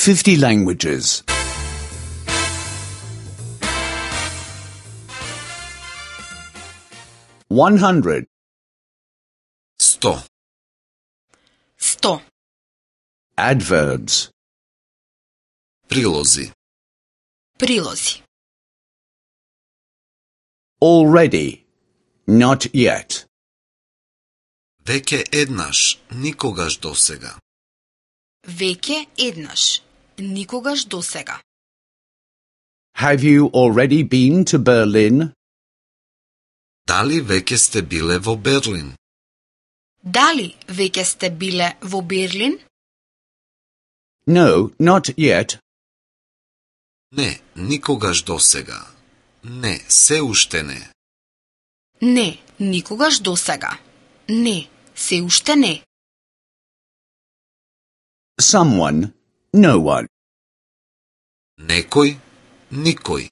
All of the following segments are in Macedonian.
50 languages. 100. 100. 100. Adverbs. Прилози. Прилози. Already. Not yet. Веќе еднаш, никогаш досега. Веќе еднаш. Никогаш досега. Have you already been to Berlin? Дали веќе сте биле во Берлин? Дали веќе сте биле во Берлин? No, not yet. Не, никогаш досега. Не, се уште не. Не, никогаш досега. Не, се уште не. Someone. No one. Некој, никој.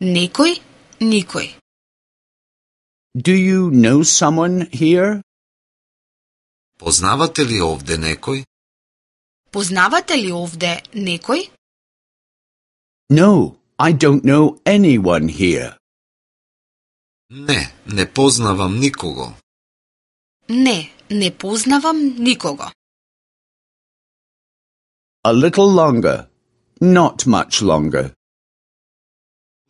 Некој, никој. Do you know someone here? Познавате ли овде некој? Познавате ли овде некој? No, I don't know anyone here. Не, не познавам никого. Не, не познавам никого. A little longer. Not much longer.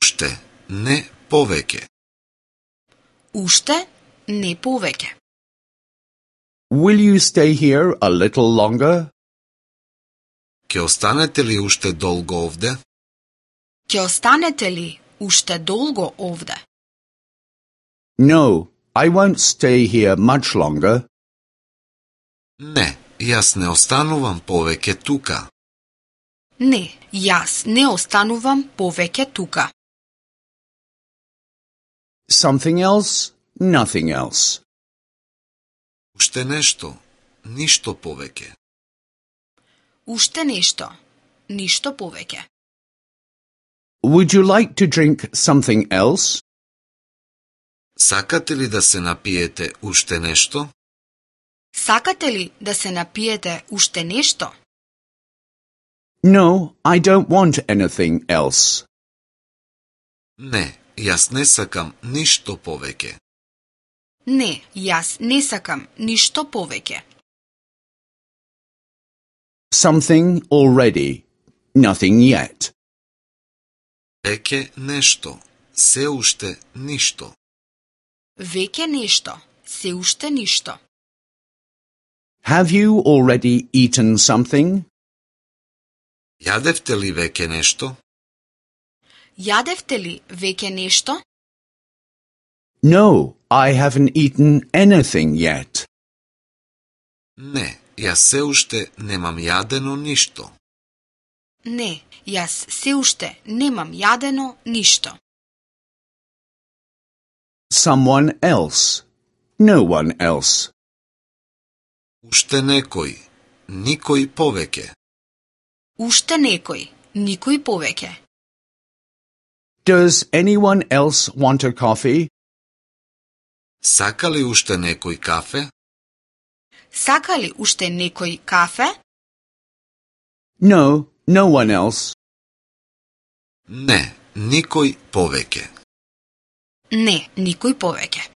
Уште, не повеќе. Уште, не повеќе. Will you stay here a little longer? Ќе останете ли уште долго овде? Ќе останете ли уште долго овде? No, I won't stay here much longer. Не, јас не останувам повеќе тука. Не, јас не останувам повеќе тука. Something else? Nothing else. Уште нешто, ништо повеќе. Уште нешто, ништо повеќе. Would you like to drink something else? Сакате ли да се напиете уште нешто? Сакате ли да се напиете уште нешто? No, I don't want anything else. Не, јас не сакам ништо повеќе. Не, јас не сакам ништо повеќе. Something already. Nothing yet. Веќе нешто, се уште ништо. Веќе нешто, се уште ништо. Have you already eaten something? Јадевте ли веќе нешто? Јадевте ли веќе нешто? No, I haven't eaten anything yet. Не, јас се уште немам јадено ништо. Не, јас се уште немам јадено ништо. Someone else. No one else. Уште некој, никој повеќе. Уште некој, никој повеќе. Does anyone else want a coffee? Сака ли уште некој кафе? Сака ли уште некој кафе? No, no one else. Не, никој повеќе. Не, никој повеќе.